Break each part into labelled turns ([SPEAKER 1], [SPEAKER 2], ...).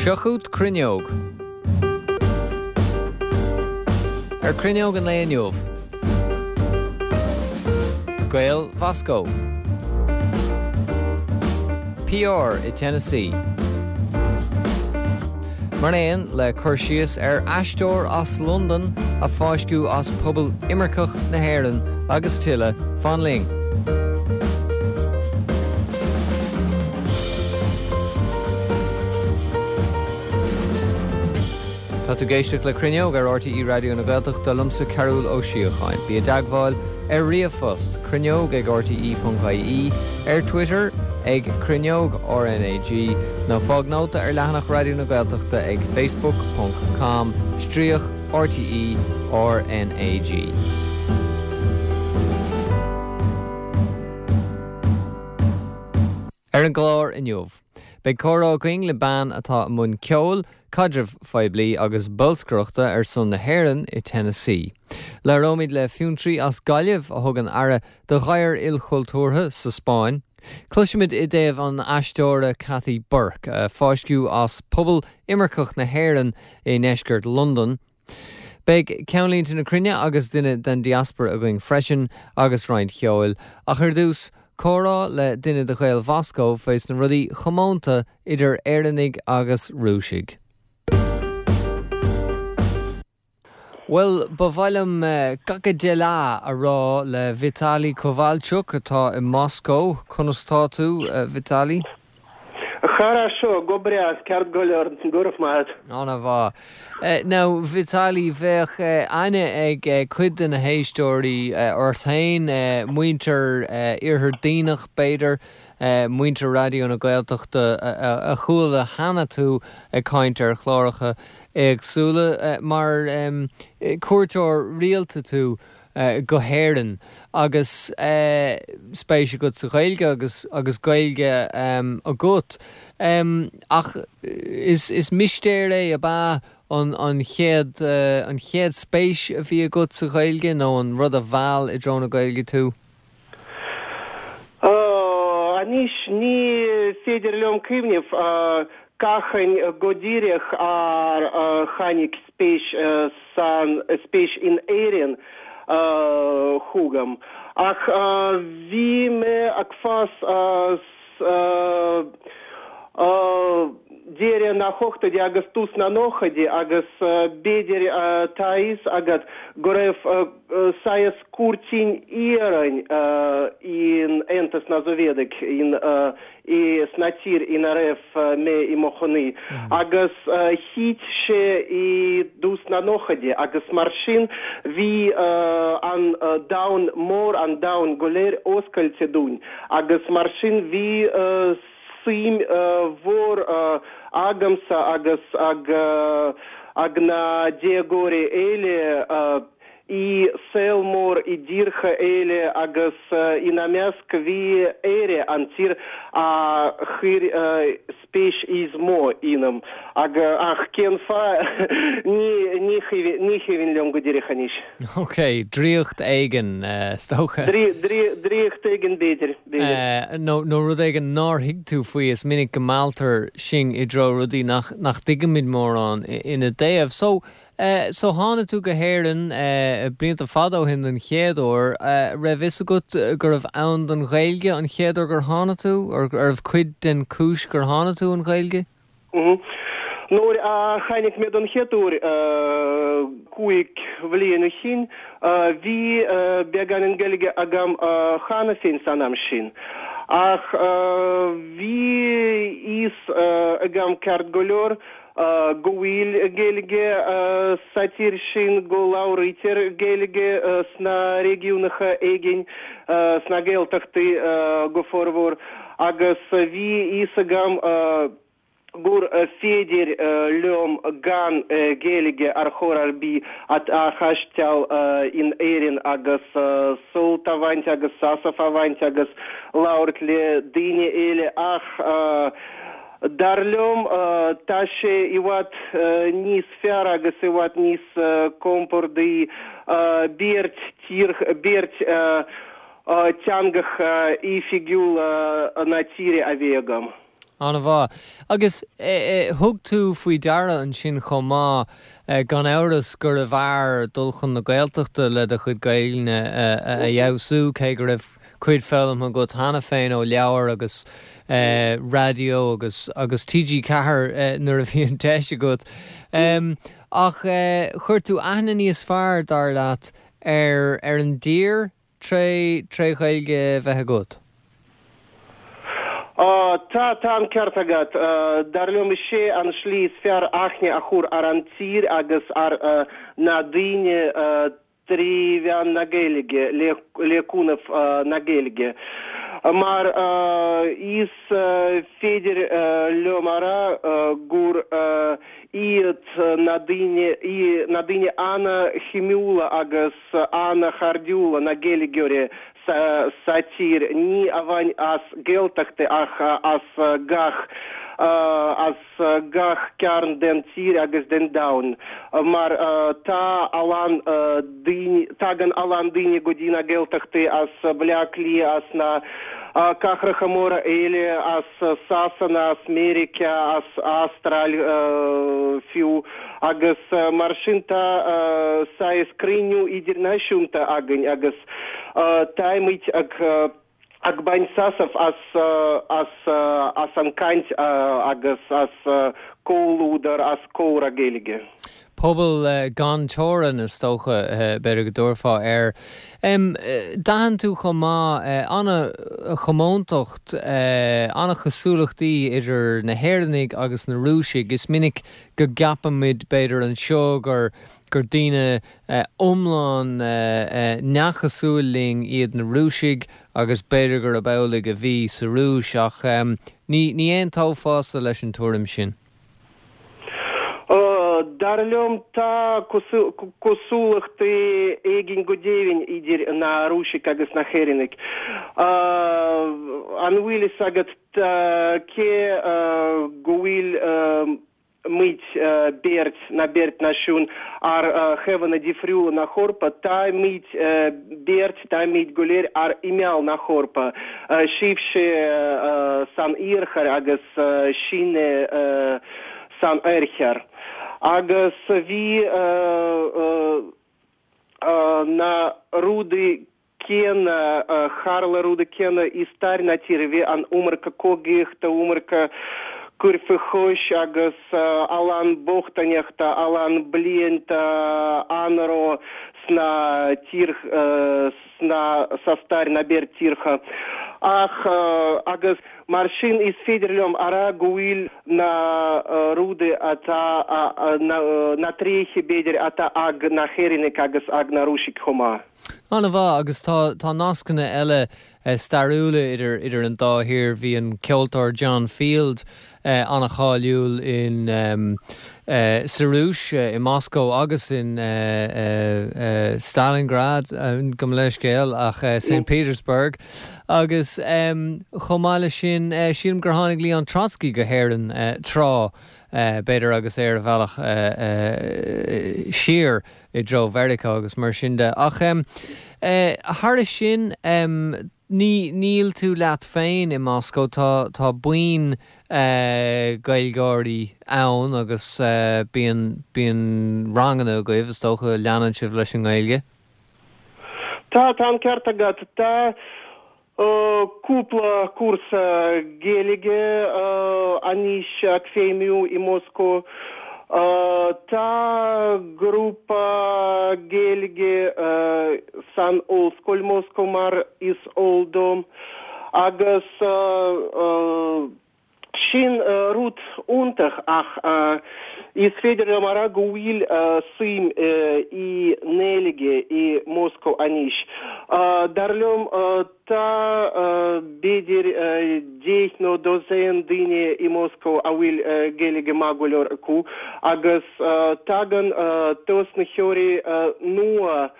[SPEAKER 1] Seo chugat Cruinneog. Ar Cruinneog an lae inniu. Gaeil Mhoscó. PR i Tennessee. Mar aon le cur síos ar aisteoir as Londain a fáisceadh as pobal imirceach na hÉireann agus tuilleadh, fan linn! Tá tú ag éisteacht le Cruinneog ar RTÉ Raidió na Gaeltachta, liomsa Cearúll Ó Síocháin. Bí i dteagmháil ar ríomhphost, cruinneog ag rte.ie, ar Twitter ag Cruinneog RnaG, nó fág nóta ar leathanach Raidió na Gaeltachta ag facebook ponc com stríoc RTÉ RnaG. Ar an gclár inniu, beidh comhrá againn le bean atá i mbun ceoil, caidrimh phoiblí agus bolscaireachta ar son na hÉireann i Tennessee. Labhróimid le fiontraí as Gaillimh a thugann aire do ghadhar ilchultúrtha sa Spáinn. Cloisfimid i dtaobh an aisteora Kathy Burke, a fáisceadh as pobal imirceach na hÉireann i ndeisceart Londan. Beidh Ceannlínte na Cruinne agus duine den diaspora againn freisin, agus roinnt cheoil, ach ar dtús, comhrá le duine de Ghaeil Mhoscó faoi sna rudaí chomónta idir Éireannaigh agus Rúisigh. Bhuel, ba mhaith liom Kaka dela a rá le Vitaly Kovalchuk atá i Moscó. Conas tá tú, Vitaly?
[SPEAKER 2] Хорошо, go breá, ceart go leor, go raibh maith agat.
[SPEAKER 1] An-mhaith. Now, Vitaly, bheadh aithne ag cuid de na héisteoirí ort féin, muintir Iarthar Duibhneach, b'fhéidir, muintir Raidió na Gaeltachta a chuala cheana tú ag caint ar chláracha éagsúla, mar cuairteoir rialta tú go hÉirinn agus spéis agat sa Ghaeilge agus agus Gaeilge agat. Ach is is mistéir é ab ea an an chéad an chéad spéis a bhí agat sa Ghaeilge nó an rud a mheall i dtreo na Gaeilge tú?
[SPEAKER 2] Anois ní féidir liom cuimhneamh cathain go díreach ar tháinig spéis san spéis in Éirinn chugam ach bhí mé ag fás deireadh na hochtóidí agus tús na nóchaidí agus b'fhéidir tá a fhios agat go raibh saghas cúirtín iarainn in Aontas na Sóivéadach in i sna tír ina raibh mé i mo chónaí agus thit sé i dtús na nóchaidí agus mar sin bhí an domhan mór, an domhan go léir oscailte dúinn agus mar sin bhí suim mhór agamsa agus ag ag na déagóirí eile i saol mór i dtíortha eile agus ina measc bhí Éire, an tír a chuir spéis is mó ionam. Ach cén fáth? Ní cuimhin liom go díreach anois.
[SPEAKER 1] Ok, draíocht éigin, is dócha.
[SPEAKER 2] Draíocht éigin, b'fhéidir.
[SPEAKER 1] Nó rud éigin nár thuig tú faoi, is minic go mealltar sinn i dtreo rudaí nach dtuigimid mórán ina dtaobh. So, So tháinig tú go hÉirinn blianta fada ó shin den chéad uair. Raibh fhios agat gurbh ann don Ghaeilge an chéad uair gur tháinig tú? Or arbh cuid den chúis gur tháinig tú an Ghaeilge?
[SPEAKER 2] Nuair a tháinig mé don chéad uair 5 bhliain ó shin, bhí beagáinín Gaeilge agam cheana féin san am sin. Ach bhí fhios agam ceart go leor go bhfuil Gaeilge sa tír sin, go labhraítear Gaeilge sna réigiúnacha éigin, sna Gaeltachtaí go formhór, agus bhí fhios agam gur féidir liom gan Gaeilge ar chor ar bith a thaisteal in Éirinn agus sult a bhaint agus sásamh a bhaint agus labhairt le daoine eile ach Dar liom, tá sé i bhfad níos fearr agus i bhfad níos compordaí beirt tír, beirt teangacha oifigiúla na tíre a bheith agam.
[SPEAKER 1] An-mhaith. Agus thug tú faoi deara ansin chomh maith, gan amhras, gurbh fhearr dul chun na Gaeltachta le do chuid Gaelainne a fheabhsú, cé go raibh cuid foghlamtha agat cheana féin ó leabhair agus raidió agus agus TG4 nuair a bhí an deis agat. Ach chuir tú aithne níos fearr, dar leat, ar ar an dtír tré tré Ghaeilge a bheith agat?
[SPEAKER 2] Tá, tá an ceart agat. Dar liom is é an slí is fearr aithne a chur ar an tír agus ar na daoine trí mheán na Gaeilge, le cúnamh na Gaeilge. Mar is féidir liom a rá gur iad na daoine, na daoine ana-shuimiúla agus ana-chairdiúla na Gaeilgeoirí sa tír, ní amháin as Gaeltachtaí ach as gach as gach cearn den tír agus den domhan, mar tá a lán daoine, tagann a lán daoine go dtí na Gaeltachtaí as Bleá Cliath, as na cathracha móra eile, as Sasana, as Meiriceá, as Astráil fiú, agus mar sin tá saghas cruinniú idirnáisiúnta againn agus táimid ag ag baint sásamh as as as an gcaint agus as comhluadar, as comhrá Gaeilge.
[SPEAKER 1] Pobal gan teorainn, is dócha, b'fhéidir go dtabharfá air. D'aithin tú chomh maith an-chomóntacht, an-chosúlachtaí idir na hÉireannaigh agus na Rúisigh. Is minic go gceapaimid, b'fhéidir, anseo gur gur daoine iomlán neamhchosúil linn iad na Rúisigh agus b'fhéidir gurb amhlaidh a bhí sa Rúis ach ní ní aontófása leis an tuairim sin.
[SPEAKER 2] Dar liom tá cosúlachtaí éigin go deimhin idir na Rúisigh agus na hÉireannaigh. An bhfuil fhios agat cé go bhfuil muid beirt, na beirt náisiún, ar thaobhanna difriúla na hEorpa, táimid beirt, táimid go léir ar imeall na hEorpa, sibhse san iarthar agus sinne san oirthear. Agus bhí na rudaí céanna, tharla rudaí céanna i stair na tíre, bhí an iomarca cogaíochta, iomarca cur faoi chois agus a lán bochtaineachta, a lán blianta anró sna tír, sna, sa stair na beirt tíortha. Ach, agus mar sin is féidir liom a rá go bhfuil na rudaí atá, na tréithe b'fhéidir atá ag na hÉireannaigh agus ag na Rúisigh chomh maith.
[SPEAKER 1] An-mhaith, agus tá tá nascanna eile stairiúla idir idir an dá thír. Bhí an ceoltóir John Field an-cháiliúil in sa Rúis, i Moscó agus in Stalingrad, gabh mo leithscéal, ach Saint Petersburg. Agus chomh maith leis sin, sílim gur tháinig Leon Trotsky go hÉirinn tráth, b'fhéidir agus é ar a bhealach siar. i dtreo Mheiriceá agus mar sin de. Ach thairis sin, ní, níl tú leat féin i Moscó, tá, tá buíon Gaeilgeoirí ann agus bíonn, bíonn ranganna agaibh, is dócha, leanann sibh leis an nGaeilge.
[SPEAKER 2] Tá, tá an ceart agat. Tá Cúpla cúrsa Gaeilge anois ag feidhmiú i Moscó. Tá grúpa Gaeilge san Ollscoil Moscó mar is eol dom agus Sin rud iontach ach is féidir liom a rá go bhfuil suim i nGaeilge i Moscó anois. Dar liom tá b'fhéidir 10 nó dosaen daoine i Moscó a bhfuil Gaeilge maith go leor acu agus tagann tosnaitheoirí nua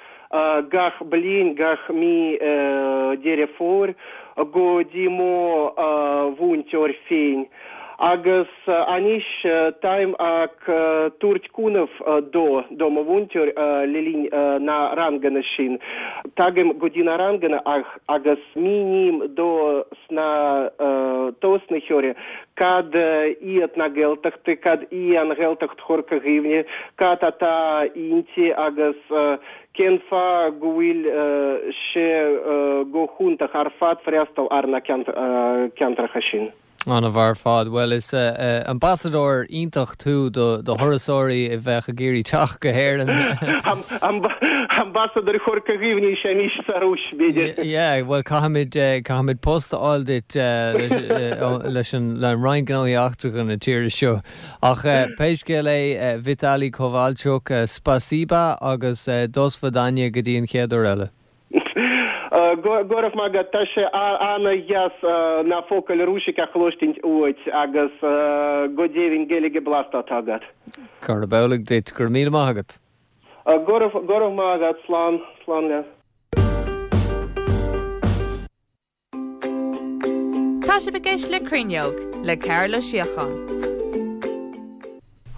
[SPEAKER 2] Gach bliain, gach mí Deireadh Fómhair, go dtí mo mhúinteoir féin. Agus anois táim ag tabhairt cúnamh dó, do mo mhúinteoir le linn na ranganna sin. Tagaim go dtí na ranganna agus míním dó sna tosnaitheoirí cad iad na Gaeltachtaí, cad í an Ghaeltacht Chorca Dhuibhne, cad atá inti agus cén fáth go bhfuil sé go hiontach ar fad freastal ar na ceantracha sin.
[SPEAKER 1] An-mhaith ar fad. Bhuel, is ambasadóir iontach tú do thurasóirí a bheadh ag iarraidh teacht go hÉirinn.
[SPEAKER 2] Ambasadóir Chorca Dhuibhne is ea mise sa Rúis, b'fhéidir.
[SPEAKER 1] Yeah, bhuel, caithfimid, caithfimid post a fháil duit leis an, le Roinn Gnóthaí Eachtracha na tíre seo. Ach pé scéal é, Vitaly Kovalchuk, spasiba agus dosvidaniya go dtí an chéad uair eile.
[SPEAKER 2] Go raibh maith agat. Tá sé ana-dheas na focail Rúisise a chloistint uait agus go deimhin Gaeilge blasta atá agat.
[SPEAKER 1] Gurab amhlaidh duit. Go raibh míle maith agat.
[SPEAKER 2] Go raibh maith agat. Slán. Slán leat.
[SPEAKER 3] Tá sibh ag éisteacht le Cruinneog le Cearbhall Ó Síocháin.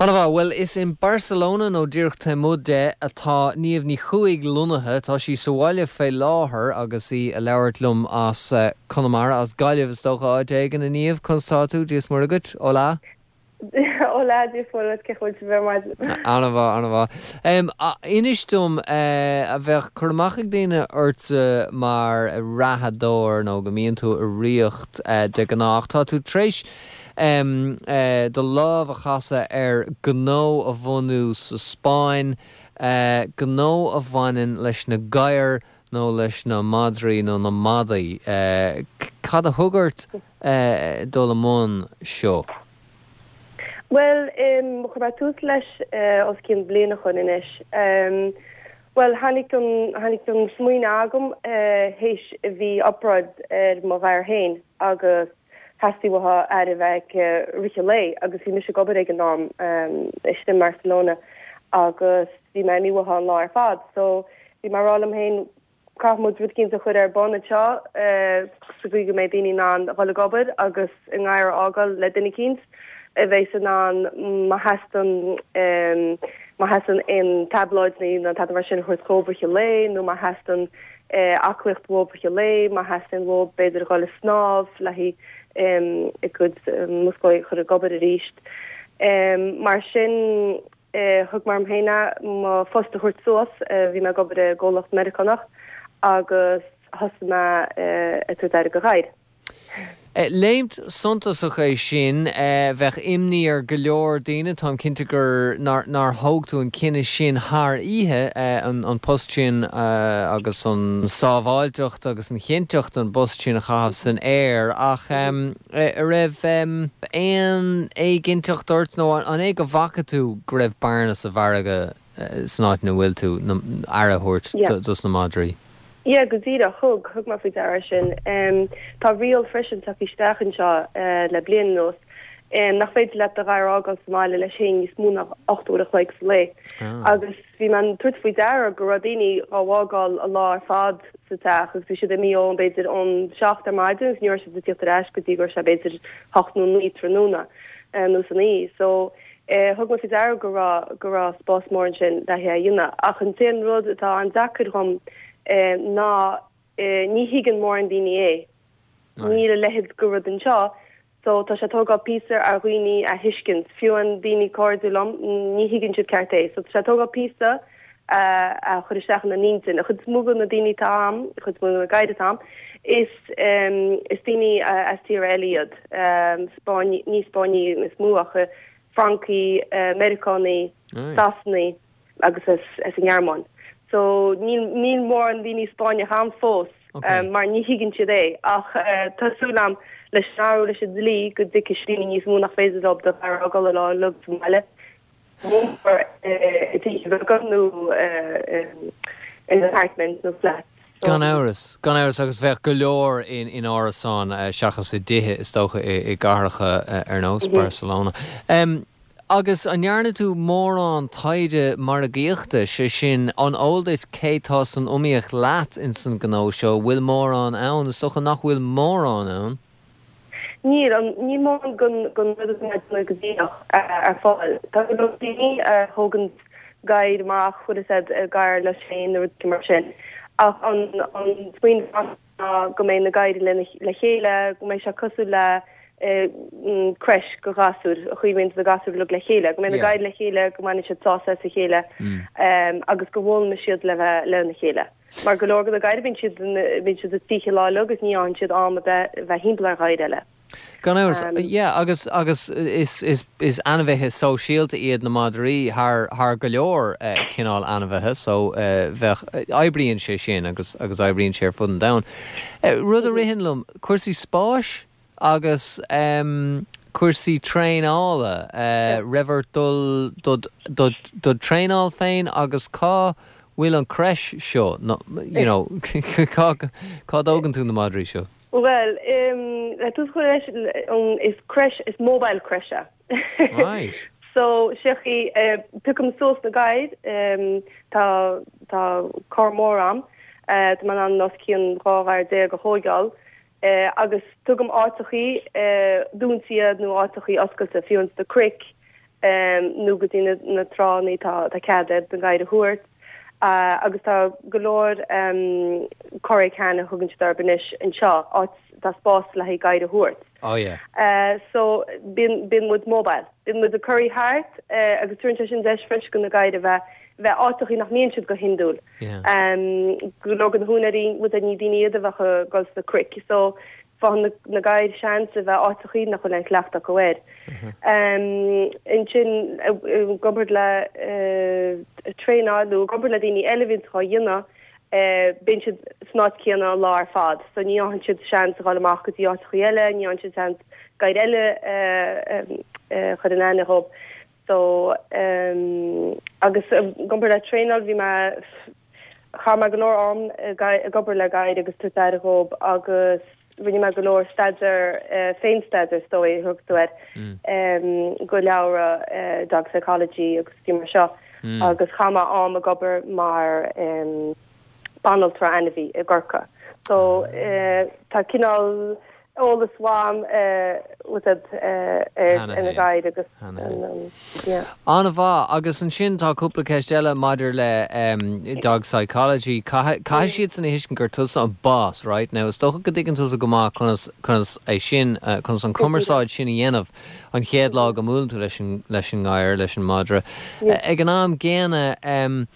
[SPEAKER 1] An-mhaith. Bhuel, is in Barcelona, nó díreach taobh amuigh de, atá Niamh Ní Chuaig lonnaithe. Tá sí sa bhaile fé láthair agus í a labhairt liom as Conamara, as Gaillimh is dócha, áit éigin. A Niamh, conas tá tú? Dia is Muire dhuit. Hola.
[SPEAKER 4] Hola, Dia is Muire dhuit, cén chaoi a bhfuil sibh ar maidin?
[SPEAKER 1] An-mhaith, an-mhaith. Inis dom, a bheadh cur amach ag daoine ortsa mar reathadóir nó go mbíonn tú ag ritheacht de ghnáth, ach tá tú tar éis do lámh a chasadh ar ghnó a bhunú sa Spáinn, gnó a bhaineann leis na gadhair nó leis na madraí nó na madaí. Cad a thug ort dul i mbun seo?
[SPEAKER 4] Bhuel, chuir mé tús leis os cionn bliain ó shoin anois. Bhuel, tháinig an, tháinig an smaoineamh agam théis bhí obráid ar mo ghadhar féin agus theastaigh uaithi aire a bheith aici i rith an lae agus bhí mise ag obair ag an am istigh i mBarcelona agus bhí mé imithe uaithi an lá ar fad so bhí mé ag rá liom féin Caithfidh muid rud eicínt a chur ar bun anseo sa gcaoi go mbeidh daoine in ann a dhul ag obair agus a ngadhar a fhágáil le duine eicínt a bheas in ann má theastaíonn má theastaíonn aon taibléid nó tada mar sin a thabhairt dhóibh i rith an lae nó má theastaíonn aclaíocht uathu i rith an lae, má theastaíonn uathu b'fhéidir a dhul ag snámh le haghaidh a gcuid muscail a chur ag obair arís. Mar sin. Thug mé orm féin é, mo phost a thabhairt suas. Bhí mé ag obair i gcomhlacht Meiriceánach agus thosaigh mé ag tabhairt aire do ghadhair.
[SPEAKER 1] Léimt suntasach é sin. Bheadh imní ar go leor daoine, táim cinnte gur nár nár thóg tú an cinneadh sin thar oíche, an post sin agus an sábháilteacht agus an chinnteacht an bpost sin a chaitheamh san aer. Ach An raibh aon éiginnteacht ort nó an é go bhfaca tú go raibh bearna sa mhargadh san áit ina bhfuil tú, aire a thabhairt dos na madraí?
[SPEAKER 4] Yeah, go díreach. Thug, thug mé faoi deara é sin. Tá riail freisin tagtha isteach anseo le bliain anuas nach féidir leat do ghadhar a fhágáil sa mbaile leis féin níos mó ná 8 uair a chloig sa lae. Agus Bhí mé ag tabhairt faoi deara go raibh daoine dhá bhfágáil an lá ar fad sa teach agus bhí siad imithe ón b'fhéidir ón seacht ar maidin agus ní raibh siad ag tíocht ar ais go dtí go raibh sé b'fhéidir hocht nó naoi tráthnóna nó san oíche. So thug mé faoi deara go raibh go raibh spás mór ansin le haghaidh é a dhéanamh. Ach an t-aon rud atá an-deacair dhom ná ní thuigeann mórán daoine é. Níl a leithéid de rud anseo so tá sé ag tógáil píosa ar dhaoine a thuiscint. Fiú an daoine cairde liom, ní thuigeann siad ceart é. So tá sé ag tógáil píosa a chur isteach ina n-intinn. An chuid is mó de na daoine atá a'm, an chuid is mó de na gadhair atá a'm, is is daoine as tíortha eile iad. Spáinnigh, ní Spáinnigh is mó ach Francaigh, Meiriceánaigh, Sasanaigh. agus as an nGearmáin. So níl níl mórán daoine Spáinneach a'm fós mar ní thuigeann siad é ach tá súil a'm leis an athrú leis an dlí go dtuigfidh daoine níos mó nach féidir leo do ghadhar a fhágáil an lá uilig sa mbaile mór i dtithe beaga nó in apartment nó flat.
[SPEAKER 1] Gan amhras, gan amhras agus bheadh go leor in in árasáin seachas i dtithe is dócha i gcathracha ar nós Barcelona. Agus an ndearna tú mórán taighde margaíochta, sé sin, an eol duit cé tá san iomaíocht leat ins an gnó seo, bhfuil mórán ann? Is dócha nach bhfuil mórán ann.
[SPEAKER 4] Níl, níl mórán den rud atá mé ag déanamh go díreach ar fáil. Tá go leor daoine a thógann gadhair amach, bhfuil fhios a'd, gadhar leis féin nó rudaí mar sin. Ach an smaoineamh ná go mbeidh na gadhair le chéile, go mbeidh sé cosúil le creche do ghasúir, an chaoi a mbíonn na gasúir uilig le chéile, go mbeidh na gadhair le chéile, go mbainfidh siad sásamh as a chéile agus go bhfoghlaimeoidh siad le bheith lena chéile. Mar go leor de na gadhair bíonn siad bíonn siad istigh an lá uilig agus ní fhaigheann siad am a bheith bheith thimpeall ar ghadhair eile.
[SPEAKER 1] Gan amhras, yeah, agus agus is is is ainmhithe sóisialta iad na madraí thar thar go leor cineál ainmhithe so bheadh oibríonn sé sin agus agus oibríonn sé ar fud an domhain. Rud a ritheann liom, cúrsaí spáis? Agus cúrsaí traenála, raibh ort dul do do traenáil féin agus cá bhfuil an creche seo, you know, cá cá dtógann tú na madraí seo?
[SPEAKER 4] Bhuel, le tús a chur leis, is creche, is mobile creche é.
[SPEAKER 1] Right.
[SPEAKER 4] So, sé an chaoi, piocaim suas na gadhair, tá tá carr mór a'm, tá mé in ann os cionn 12 ghadhar a thóigeáil, agus tugaim áiteachaí dúnta iad nó áiteachaí oscailte, fiú ins na cnoic nó go dtí na tránna tá cead ar na gadhair a thabhairt agus tá go leor Corrán a thugann siad orthu anois anseo, áit tá spás le haghaidh gadhair a thabhairt.
[SPEAKER 1] Oh yeah.
[SPEAKER 4] So bíonn bíonn muid mobile. Bíonn muid ag corraí thart agus tugann sé sin deis freisin do na gadhair a bheith bheith áiteachaí nach mbíonn siad go hiondúil. Go leor de na húinéirí, bhuel ní daoine iad a bheadh ag dul sna cnoic so faigheann na gadhair seans a bheith áiteachaí nach bhfuil aon chleachtadh acu air. Ansin i gcomparáid le traenáil nó i gcomparáid le daoine eile a bhíonns á dhéanamh, bíonn siad san áit céanna an lá ar fad so ní fhaigheann siad seans a dhul amach go dtí áiteachaí eile, ní fhaigheann siad seans gadhair eile a chur in aithne dhóibh. So, em, agus i gcomparáid le traenáil bhí mé, chaith mé go leor am ag obair le gadhair agus tabhairt aire dhóibh agus rinne mé go leor staidéar, eh, féin-staidéar is dóigh a thug tú air, em, go leabhra, eh, dog psychology agus rudaí mar seo agus chaith mé am ag obair mar, em, banaltra ainmhí i gCorcaigh. So, eh, tá cineál eolas uaim ar na gadhair agus
[SPEAKER 1] yeah. An-mhaith. Agus ansin tá cúpla ceist eile maidir le dog psychology. Caithfidh siadsan a thuiscint gur tusa an boss, right? Now is dócha go dtuigeann tusa go maith conas conas é sin, conas an cumarsáid sin a dhéanamh an chéad lá go mbuaileann tú leis an leis an ngadhar, leis an madra. Ag an am gcéanna,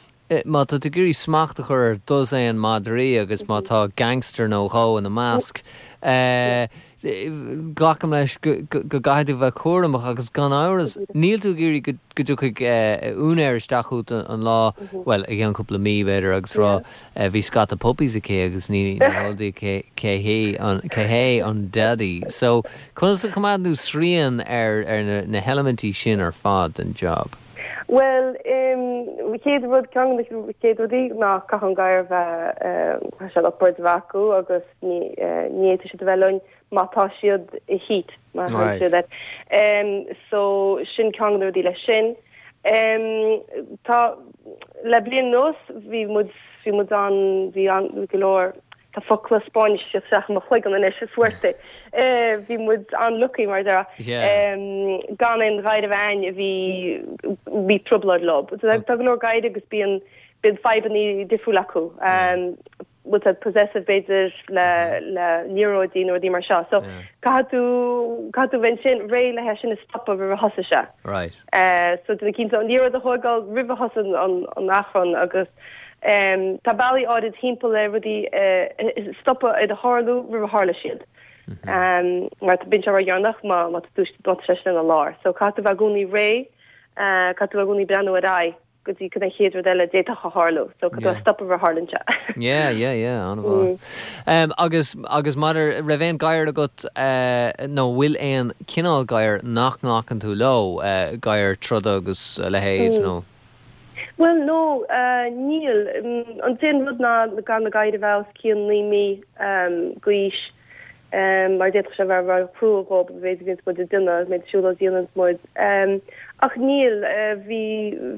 [SPEAKER 1] Má tá tú ag iarraidh smacht a chur ar dosaen madraí agus má tá gangster nó dhó ina measc, glacaim leis go gcaithfidh tú bheith cúramach agus gan amhras níl tú ag iarraidh go dtiocfaidh úinéir isteach chugat an lá, bhuel, i gceann cúpla mí b'fhéidir agus rá bhí scata puppies aici agus ní heol di cé hé an daddy. So, conas a choimeádann tú srian ar na heilimintí sin ar fad den job?
[SPEAKER 4] Bhuel, an chéad rud, ceann de na chéad rudaí ná caithfidh an gadhar a bheith, caithfidh siad upwards a bheith acu agus ní ní fhéadfaidh siad a bheith linn má tá siad i heat, mar a thugann siad air. So sin ceann de na rudaí leis sin. Tá, le bliain anuas bhí muid, bhí muid an, bhí an, go leor, Tá focla Spáinnise isteach i mo chloigeann anois, suerte. Bhí muid an-lucky mar a déarfá. Gan aon ghadhar a bheith a'ainn a bhí bhí trioblóid leo. Tá go leor gadhair agus bíonn bíonn fadhbanna difriúil acu. Bhfuil siad possessive b'fhéidir le le liathróidí nó rudaí mar seo. So caithfidh tú caithfidh tú bheith ansin réidh le é sin a stopadh roimh a thosaigh sé.
[SPEAKER 1] Right.
[SPEAKER 4] So déanamh cinnte an liathróid a thóigeáil roimh a thosaigh an an achrann agus Tá bealaí áirid thimpeall ar rudaí a stopadh iad a tharlú roimh a tharla siad. Mar bíonn sé ródheireanach má má tá sé sin ina lár. So caithfidh tú bheith i gcónaí réidh, caithfidh tú bheith i gcónaí breathnú ar aghaidh go dtí cad é an chéad rud eile a d'fhéadfadh a tharlú. So caithfidh tú a stopadh roimh a tharlaíonn sé.
[SPEAKER 1] Yeah, yeah, yeah, an-mhaith. Agus, agus maidir, raibh aon gadhar agat nó bhfuil aon cineál gadhar nach nglacann tú leo, gadhar troda agus a leithéid nó?
[SPEAKER 4] Bhuel, no, níl. An t-aon rud ná gan na gadhair a bheith os cionn 9 mí d'aois, mar d'fhéadfadh sé a bheith ró-chrua dhóibh, an mhéid a bhíonns muid ag déanamh, an méid siúlóid a dhéananns muid. Ach níl. Bhí,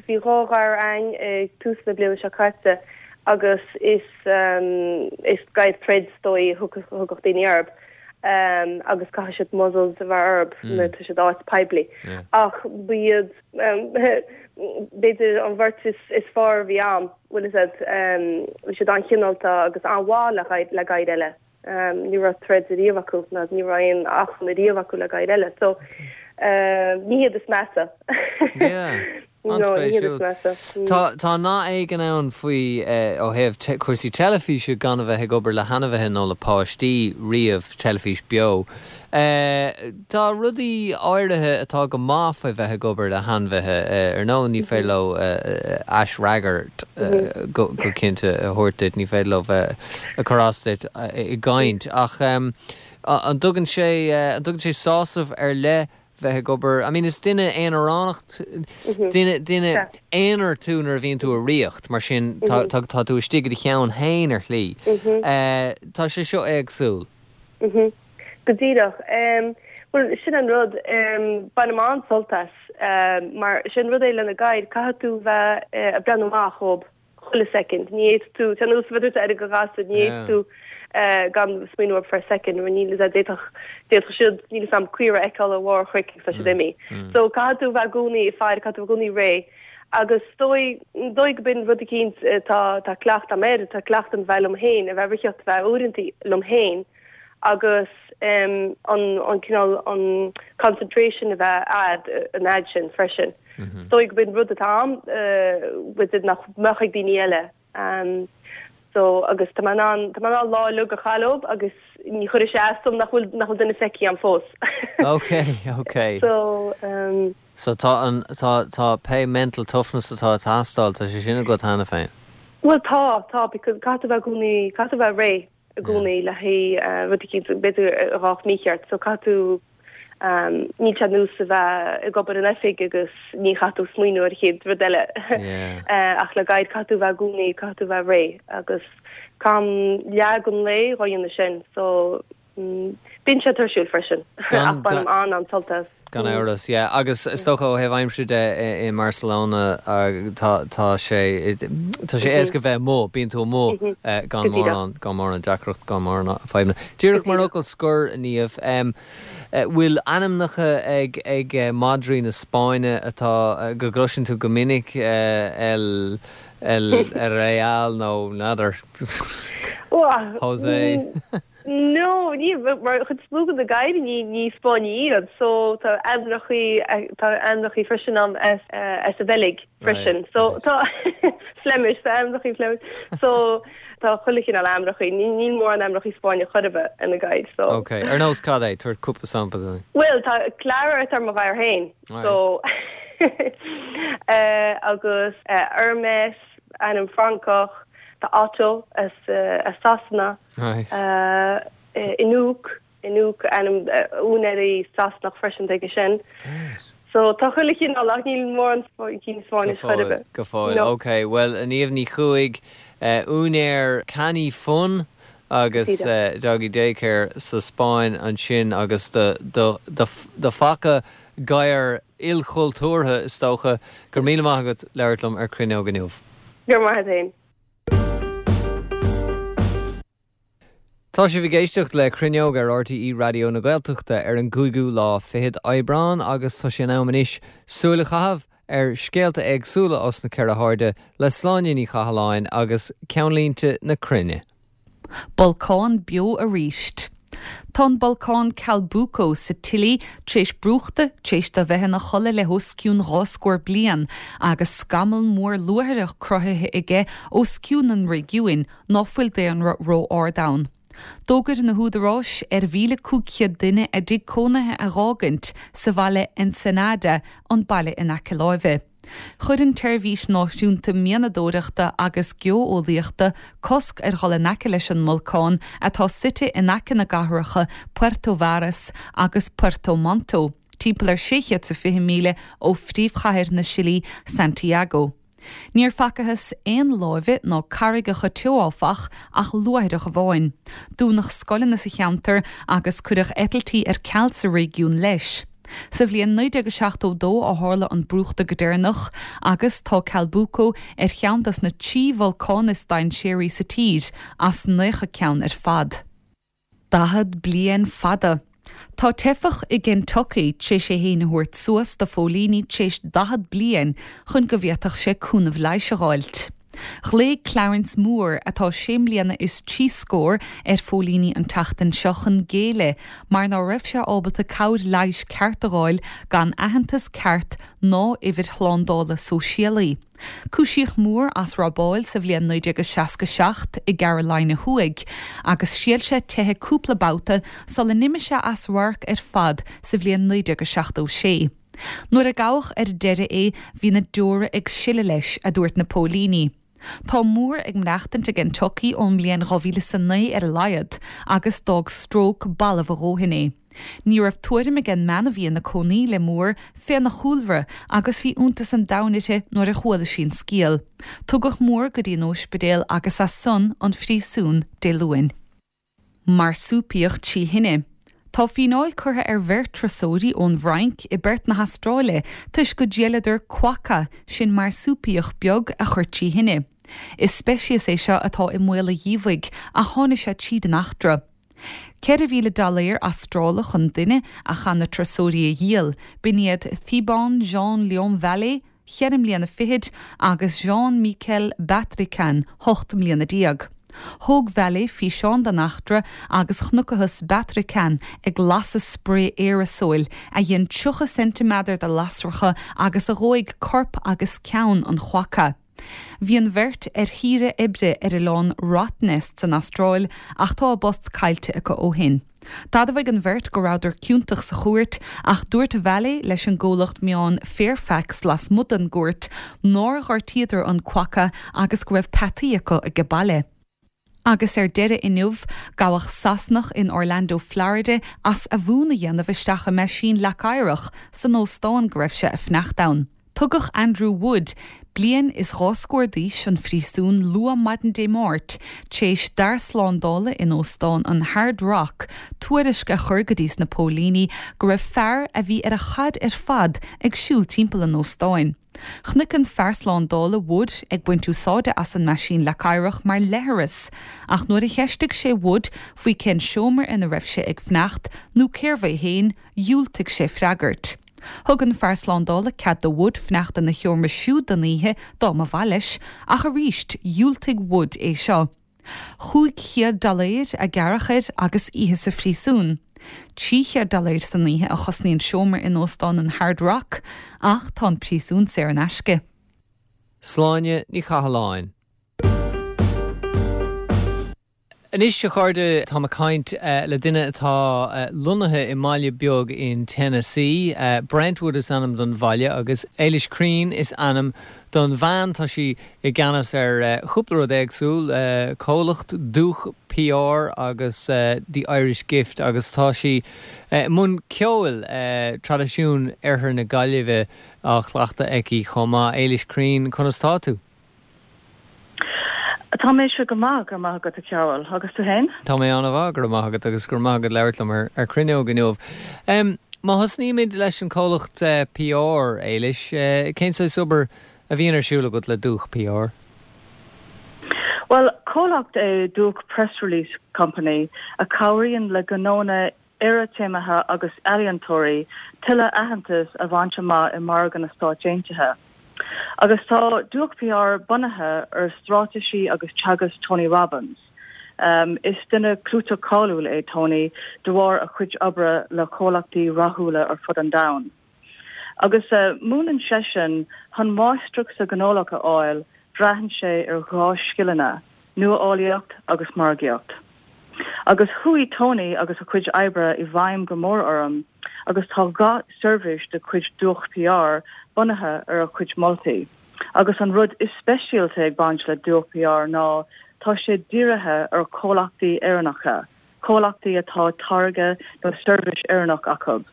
[SPEAKER 4] bhí dhá ghadhar a'ainn ag tús na bliana seo caite agus is, is gadhair troid is dóigh a thugadh daoine orthu. Agus caithfidh siad muzzles a bheith orthu nuair atá siad áit poiblí. Ach ba iad b'fhéidir an bheirt is fearr a bhí a'm, bhfuil fhios a'd, bhí siad an-chineálta agus an-mhaith le gadhair eile. Ní raibh troid ariamh acu ná ní raibh aon achrann ariamh acu le gadhair eile. So ní hiad is measa.
[SPEAKER 1] An-spéisiúil. Tá tá nath éigin ann faoi ó thaobh cúrsaí teilifíse gan a bheith ag obair le hainmhithe nó le páistí riamh, teilifís beo. Tá rudaí áirithe atá go maith faoi bheith ag obair le hainmhithe. Ar ndóigh ní féidir leo aisfhreagairt go cinnte a thabhairt duit, ní féidir leo bheith ag cur as duit i gcaint ach an dtugann sé an dtugann sé sásamh ar leith bheith ag obair, I mean is duine aonaránach, duine, duine aonair tú nuair a bhíonn tú i ríocht, mar sin tá, tá, tá tú istigh i do cheann féin ar shlí. Tá sé seo éagsúil.
[SPEAKER 4] Go díreach. Bhuel, sin an rud, bainim an-sult as, mar sin rud é le na gadhair, caithfidh tú bheith ag breathnú amach dhóibh. chuile soicind. Ní fhéadfaidh tú, tá nós a bheith ar go ghasúr, ní fhéadfaidh tú gan smaoineamh orthu for a second, mar níl fhios a'd, d'fhéadfadh, d'fhéadfadh siad, níl fhios a'm, caora a fheiceáil ar bharr chnoic agus tá siad imithe. So caithfidh tú bheith i gcónaí ag faire, caithfidh tú bheith i gcónaí réidh. Agus is dóigh, dóigh go b'in rud eicínt atá, tá cleachtadh a'm air, tá cleachtadh a'm bheith liom féin, a bheith rithiocht, a bheith uaireantaí liom féin agus an, an cineál, an concentration a bheith a'd an fhad sin freisin. Is dóigh go b'in rud atá a'm b'fhéidir nach mbeadh ag daoine eile. So agus tá mé in ann, tá mé in ann lá uilig a chaith leob agus ní chuirfidh sé as dom nach bhfuil, nach bhfuil duine feicthe a'm fós.
[SPEAKER 1] Ok, ok.
[SPEAKER 4] So um.
[SPEAKER 1] So tá an, tá, tá pé mental toughness atá ag teastáil, tá sé sin agat cheana féin?
[SPEAKER 4] Bhuel tá, tá because caithfidh tú bheith i gcónaí, caithfidh tú bheith réidh. i gcónaí le haghaidh rud eicínt b'fhéidir a ghabhfadh mícheart so caithfidh tú níl sé ar nós a bheith ag obair in oifig agus ní chaithfidh tú smaoineamh ar an chéad rud eile ach le gadhair caithfidh tú bheith i gcónaí caithfidh tú bheith réidh agus caithim leath den lae dhá dhéanamh sin so bíonn sé tuirsiúil freisin ach bainim an-an-sult as.
[SPEAKER 1] Gan amhras, yeah. Agus is dócha ó thaobh aimsire de i mBarcelona tá tá sé tá sé éasca bheith amuigh, bíonn tú amuigh gan mórán gan mórán deacracht, gan mórán fadhbanna. Díreach mar fhocal scoir, Niamh, bhfuil ainmneacha ag ag madraí na Spáinne atá go gcloiseann tú go minic, El El Real nó n'fheadar José?
[SPEAKER 4] No, ní, mar chuid is mó de na gadhair ní, ní Spáinnigh iad, so tá ainmneachaí, tá ainmneachaí freisin a'm as, as an Bheilg freisin. So tá Flemish, tá ainmneachaí Flemish. So tá chuile chineál ainmneachaí, ní, níl mórán ainmneachaí Spáinneach chor ar bith ar na gadhair, so.
[SPEAKER 1] Ok, ar nós cad é? Tabhair cúpla sampla dúinn.
[SPEAKER 4] Bhuel, tá Clara atá ar mo ghadhar féin, so agus Hermes, ainm Francach, tá Otto as, as Sasana. Inouk, Inouk, ainm úinéirí Sasanach freisin aige sin. So tá chuile chineál ach níl mórán cinn Spáinnis chor ar bith.
[SPEAKER 1] Go fóill. Ok, bhuel Niamh Ní Chuaig, úinéir Canny Fun agus Doggy Daycare sa Spáinn ansin agus do do phaca gadhar ilchultúrtha is dócha. Go raibh míle maith agat labhairt liom ar Cruinneog inniu.
[SPEAKER 4] Go raibh maith agat féin.
[SPEAKER 1] Tá sibh ag éisteacht le Cruinneog ar RTÉ Raidió na Gaeltachta ar an gcúigiú lá fichead Aibreán agus tá sé in am anois súil a chaitheamh ar scéalta éagsúla os na ceithre hairde le Sláine Ní Chathalláin agus Ceannlínte na Cruinne.
[SPEAKER 3] Bolcán beo aríst. Tá an bolcán Calbuco sa tSile tar éis brúchtadh tar éis dó bheith ina chodladh le os cionn 2 scór bliain agus scamall mór luaithreach cruthaithe aige os cionn an réigiúin ná fuil daonra ró-ard ann. D'fhógair na húdaráis ar 1,500 duine a dtigh cónaithe a dh'fhágaint sa bhaile Ensenada, an baile in aice láimhe. Chuir an tSeirbhís Náisiúnta Mianadóireachta agus Geo-eolaíochta cosc ar dhul in aice leis an mbolcán atá suite in aice na gcathracha Puerto Varas agus Puerto Monto, timpeall ar 620 míle ó phríomhchathair na Sile, Santiago. Níor facathas aon láibe ná carraigeacha teo áfach, ach luaithreach amháin. Dúnadh scoileanna sa cheantar agus cuireadh eitiltí ar ceal sa réigiún leis. Sa bhliain 1972 a tharla an brúchtadh go deireanach agus tá Calbuco ar cheann dos na trí bholcán is dainséaraí sa tír, as 90 ceann ar fad. 40 bliain fada. Tá teifeach i gKentucky tar éis é féin a thabhairt suas do phóilíní tar éis 40 bliain chun go bhféadfadh sé cúnamh leighis a dh'fháilt. Ghlaoigh Clarence Moore, atá sé mbliana is trí scór, ar phóilíní an tseachtain seo chun géilleadh mar ná raibh sé ábalta cabhair leighis ceart a dh'fháil gan aitheantas ceart ná uimhir shlándála sóisialaí. Cúisíodh Moore as robáil sa bhliain 1967 i gCarolina Thuaidh agus thriail sé teitheadh cúpla babhta sula n-imigh sé as radharc ar fad sa bhliain 1976. Nuair a gabhadh ar deireadh é bhí na deora ag sileadh leis, a dúirt na póilíní. Tá Moore ag maireachtaint i gKentucky ón mbliain 2009 ar a laghad agus d'fhág stróc balbh a dhóthain é. Ní raibh tuairim ag an mbean a bhí ina cónaí le Moore féna chúlra agus bhí iontas an domhain uirthi nuair a chuala sí an scéal. Tugadh Moore go dtí an óispidéal agus as san an phríosún Dé Luain. Marsúipiach trí thine. Tá fíneáil curtha ar bheirt turasóirí ón bhFrainc i bPerth na hAstráile toisc go dtriaileadar quokka, sin marsúipiach beag a chur trí thine. Is speiceas é seo atá i mbaol a dhíobhaigh ach tháinig sé tríd an eachtra. 4,000 dollaer Astrálach an duine a chaith na turasóirí a dhíol, b'in iad Thibault Jean Leon Vallet, cheithre mbliana fichid, agus Jean Michel Batrican, 18 mbliana. Thóg Vallet físeán den eachtra agus chonacthas Batrican ag lasadh sprae aerasóil a dhein 30 ceintiméadar de lasracha agus a dhóigh corp agus ceann an quokka. Bhí an bheirt ar shaoire oibre ar oileán Rottnest san Astráil ach tá a bpost caillte acu ó shin. D'admhaigh an bheirt go rabhadar ciontach sa chúirt ach dúirt Vallet leis an gcomhlacht meán Fairfax lasmuigh den gcúirt nár ghortaíodar an quokka agus go raibh peataí acu age baile. Agus ar deireadh inniu, gabhadh Sasanach in Orlando, Florida as a mhún a dhéanamh isteach i meaisín leac oighreach san óstán go raibh sé ag fanacht ann. Tugadh Andrew Wood, bliain is dhá scór d'aois, chun phríosúin luath maidin Dé Máirt tar éis d'fhear slándála in óstán an Hard Rock tuairisc a chur go dtí sna póilíní go raibh fear a bhí ar a chaid ar fad ag siúl timpeall an óstáin. Chonaic an fear slándála Wood ag baint úsáide as an meaisín leac oighreach mar leithreas, ach nuair a cheistigh sé Wood faoi cén seomra ina raibh sé ag fanacht nó cérbh é féin, dhiúltaigh sé freagairt. Thug an fear slándála cead do Wood fanacht ina sheomra siúd don oíche dá mba mhaith leis, ach arís dhiúltaigh Wood é seo. 500 dollaer a gearradh air agus oíche sa phríosún. 300 dollaer san oíche a chosnaíonn seomra in Óstán an Hard Rock ach tá an príosún saor in aisce.
[SPEAKER 1] Sláine Ní Chathalláin. Anois, a chairde, táim ag caint le duine atá lonnaithe i mbaile beag in Tennessee. Brentwood is ainm don bhaile agus Éilis Crean is ainm don bhean. Tá sí i gceannas ar chúpla rud éagsúil, comhlacht Dúch PR agus The Irish Gift agus tá sí i mbun ceoil, traidisiún Oirthear na Gaillimhe á chleachtadh aici chomh maith. Éilis Crean, conas tá tú?
[SPEAKER 5] Tá mise go maith, go raibh maith agat a Chearbhaill. Agus tú fhéin?
[SPEAKER 1] Tá mé an-mhaith, go raibh maith agat agus go raibh maith agat labhairt liom ar Cruinneog inniu. Má thosnaímid leis an comhlacht PR, Éilis, cén saghas obair a bhíonn ar siúl agat le Dúch PR?
[SPEAKER 5] Bhuel, comhlacht é Dúch Press Release Company a chabhraíonn le gnónna iarchéimithe agus ealaíontóirí tuilleadh aitheantas a bhaint amach i margadh na Stáit Aontaithe. Agus tá Dúch PR bunaithe ar straitéisí agus teagasc Tony Robbins. Is duine clúiteach cáiliúil é Tony de bharr a chuid oibre le comhlachtaí rathúla ar fud an domhain. Agus múineann seisean chun máistreacht sa ghnólacht a fháil, braitheann sé ar dhá scileanna, nuálaíocht agus margaíocht. Agus chuaigh Tony agus a chuid oibre i bhfeidhm go mór orm agus tá gach seirbhís de chuid Dúch PR bunaithe ar a chuid moltaí. Agus an rud is speisialta ag baint le Dúch PR ná tá sé dírithe ar chomhlachtaí Éireannacha. comhlachtaí atá táirge nó seirbhís Éireannach acu.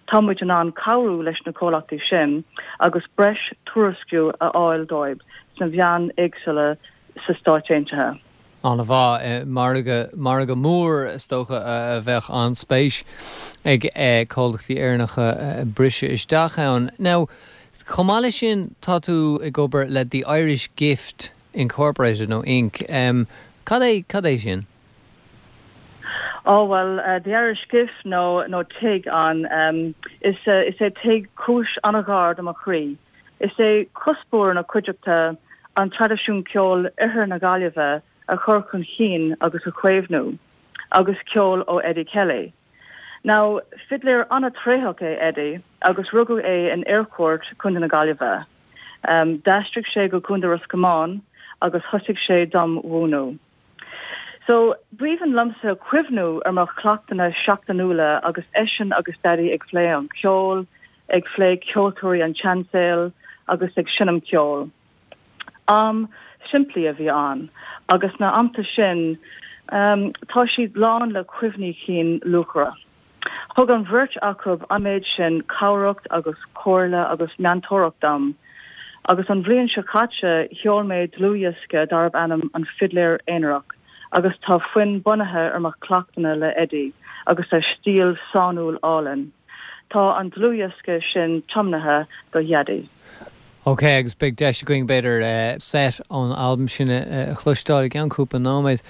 [SPEAKER 5] Tá muid in ann cabhrú leis na comhlachtaí sin agus breis tuairisciú a fháil dóibh sna mheáin éagsúla sa Stáit Aontaithe.
[SPEAKER 1] An-mhaith. Margadh, margadh mór is dócha a bheadh an-spéis ag comhlachtaí Éireannacha briseadh isteach ann. Now, chomh maith leis sin, tá tú ag obair le The Irish Gift Incorporated nó Inc. Cad é, cad é sin?
[SPEAKER 5] Ó bhuel, The Irish Gift nó nó Tig an, is is é Tig cúis an-ghar do mo chroí. Is é cuspóir na cuideachta an traidisiún ceoil Oirthear na Gaillimhe a chur chun chinn agus a chaomhnú, agus ceol ó Eddie Kelly. Now, fidléir an-tréitheach é Eddie agus rugadh é in Eyrecourt, Contae na Gaillimhe. D'aistrigh sé go Contae Ros Comáin agus thosaigh sé dom mhúineadh. So, b'aoibhinn liomsa cuimhniú ar mo chleachtanna seachtainiúla agus eisean agus Daidí ag phlé an cheoil, ag phlé ceoltóirí an tseansaoil agus ag seinm ceoil. Am simplí a bhí ann agus na amta sin, tá siad lán le cuimhní cinn luachmhara. Thug an bheirt acu an méid sin cabhrach agus comhairle agus meantóireacht dom, agus an bhliain seo caite sheol mé dlúthdhiosca darb ainm An Fidléir Aonarach agus tá foinn bunaithe ar mo chleachtanna le Eddie agus a stíl sainiúil álainn. Tá an dlúthdhiosca sin tiomnaithe do Dhaidí.
[SPEAKER 1] Ok, agus beidh deis againn b'fhéidir set ón albam sin a chloisteáil i gceann cúpla nóiméad.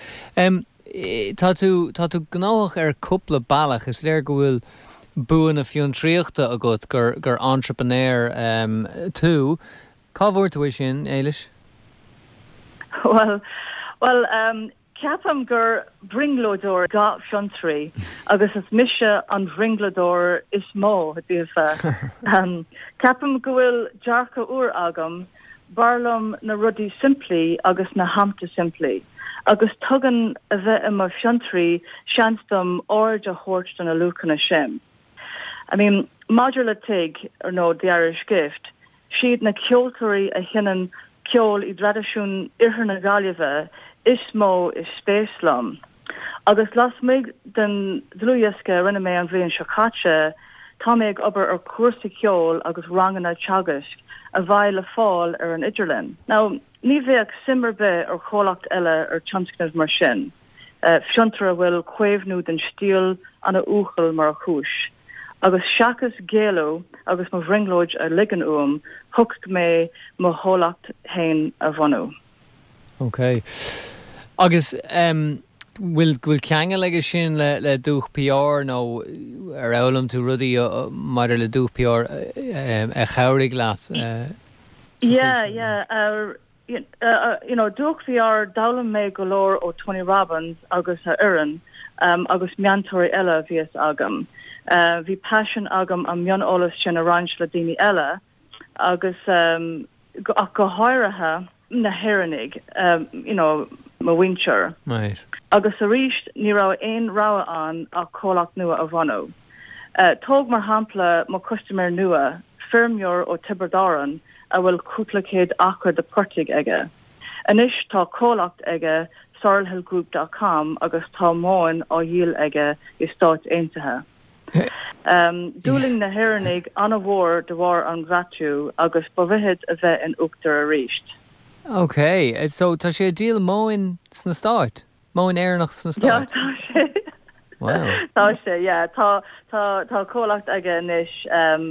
[SPEAKER 1] Tá tú, tá tú gnóthach ar cúpla bealach. Is léir go bhfuil bua na fiontraíochta agat, gur, gur entrepreneur tú. Cá bhfuair tú é sin, Éilis?
[SPEAKER 5] Bhuel, bhuel, ceapaim gur brionglóideoir gach fiontraí agus is mise an bhrionglóideoir is mó díofa. Ceapaim go bhfuil dearcadh úr agam B'fhearr liom na rudaí simplí agus na hamta simplí, agus tugann a bheith i mo fhiontraí seans dom aird a thabhairt do na luachanna sin. I mean, maidir le Tig, nó The Irish Gift, siad na ceoltóirí a sheinneann ceol i dtraidisiún Oirthear na Gaillimhe is mó is spéis liom. Agus lasmuigh den dlúthdhiosca a rinne mé an bhliain seo caite, tá mé ag obair ar chúrsa ceoil agus ranganna teagaisc a bheidh le fáil ar an idirlíon. Now, ní bheadh suim ar bith ar chomhlacht eile ar tionscnamh mar sin, fiontar a bhfuil caomhnú den stíl ana uathúil mar chúis. Agus seachas géilleadh agus mo bhrionglóid a ligean uaim, shocraigh mé mo chomhlacht féin a bhunú.
[SPEAKER 1] Ok. Agus em bhfuil bhfuil ceangal aige sin le le Dúch PR nó ar fhoghlaim tú rudaí maidir le Dúch PR a chabhraigh leat sa
[SPEAKER 5] chaoi Yeah, sin? yeah. Uh, uh, you know, Dúch PR, d'fhoghlaim mé go leor ó Tony Robbins agus a fhoireann um, agus meantóirí eile a bhíos agam. Uh, bhí paisean agam an mioneolas sin a roinnt le daoine eile agus um, ach go háirithe na hÉireannaigh, you know, mo mhuintir.
[SPEAKER 1] Right.
[SPEAKER 5] Agus arís, ní raibh aon rogha ann ach comhlacht nua a bhunú. Tóg mar shampla mo chustaiméir nua, feirmeoir ó Tiobraid Árann a bhfuil cúpla céad acra de portaigh aige. Anois tá comhlacht aige, sorrelhillgroup dot com, agus tá móin á dhíol aige i Stáit Aontaithe. D'fhulaing na hÉireannaigh an-mhór de bharr an Bhreatú agus ba mhithid a bheith in uachtar arís.
[SPEAKER 1] Ok, so tá sé ag díol móin sna Stáit? Móin Éireannach sna
[SPEAKER 5] Stáit? Yeah, tá sé.
[SPEAKER 1] Wow.
[SPEAKER 5] Tá sé, yeah. Tá, tá, tá comhlacht aige anois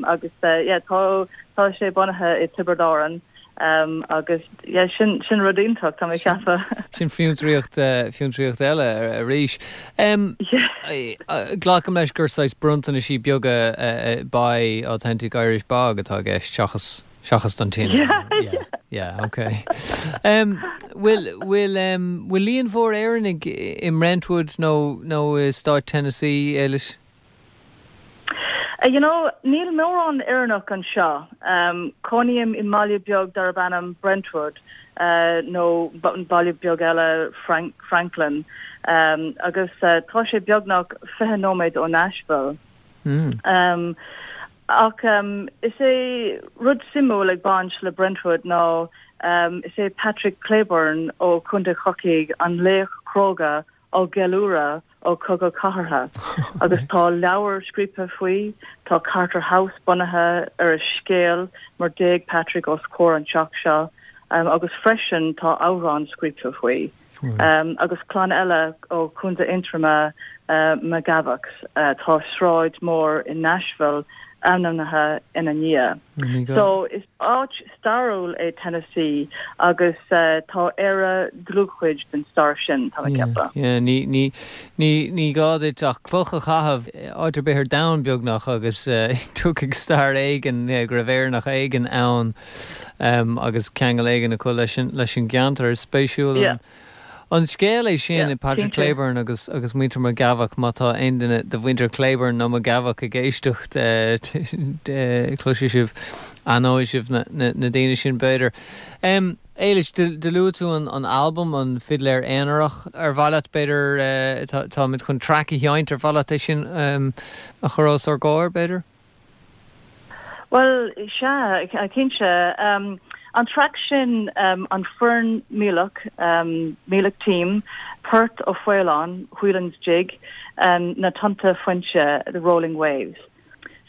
[SPEAKER 5] agus yeah, tá, tá sé bunaithe i Tiobraid Árann. Agus yeah, sin, sin rud iontach, tá mé ag ceapadh.
[SPEAKER 1] Sin fiontraíocht, fiontraíocht eile arís. Glacaim leis gur saghas bronntanaisí beaga buy authentic Irish bog atá i gceist seachas, seachas don tine.
[SPEAKER 5] Yeah,
[SPEAKER 1] yeah. Yeah, ok. Bhfuil, bhfuil, bhfuil líon mhór Éireannaigh i mBrentwood nó, nó i stát Tennessee, Éilis?
[SPEAKER 5] You know, níl mórán Éireannach anseo. Cónaím i mbaile beag darb ainm Brentwood, nó baile beag eile, Franklin, agus tá sé beagnach 20 nóiméad ó Nashville. Ach is é rud suimiúil ag baint le Brentwood ná is é Patrick Cleburne ó Chontae Chorcaí an laoch cróga á gceiliúradh ó Chogadh Cathartha agus tá leabhar scríofa faoi, tá Carter House bunaithe ar a scéal mar d'éag Patrick os comhair an teach seo agus freisin tá amhrán scríofa faoi. Agus clann eile ó Chontae Aontroma McGavocks, tá sráid mór i Nashville. ainmnithe ina ndiaidh. So is áit stairiúil é Tennessee agus tá Éire dlúthchuid den stair sin, tá mé ag ceapadh.
[SPEAKER 1] Yeah, ní, ní, ní, ní gá duit ach cloch a chaitheamh áit ar bith ar domhan beagnach agus tiocfaidh stair éigin go raibh Éireannach éigin ann agus ceangal éigin acu leis an, leis an gceantar. Is spéisiúil an. An scéal é sin, Patrick Cleburne agus agus muintir McGavock, má tá aon duine de mhuintir Cleburne nó McGavock ag éisteacht, cloisfidh sibh, aithneoidh sibh na daoine sin b'fhéidir. Éilis, do luaigh tú an albam, An Fidléir Aonarach. Ar mhaith leat, b'fhéidir, táimid chun traic a sheinnt, ar mhaith leat é sin a chur os ár gcomhair, b'fhéidir?
[SPEAKER 5] Bhuel, sea, cinnte. An traic sin, an Foireann Míleach, Meelick Team, Port Ó Faoláin, Whelan's Jig, Na Tonnta Fuinte, The Rolling Waves.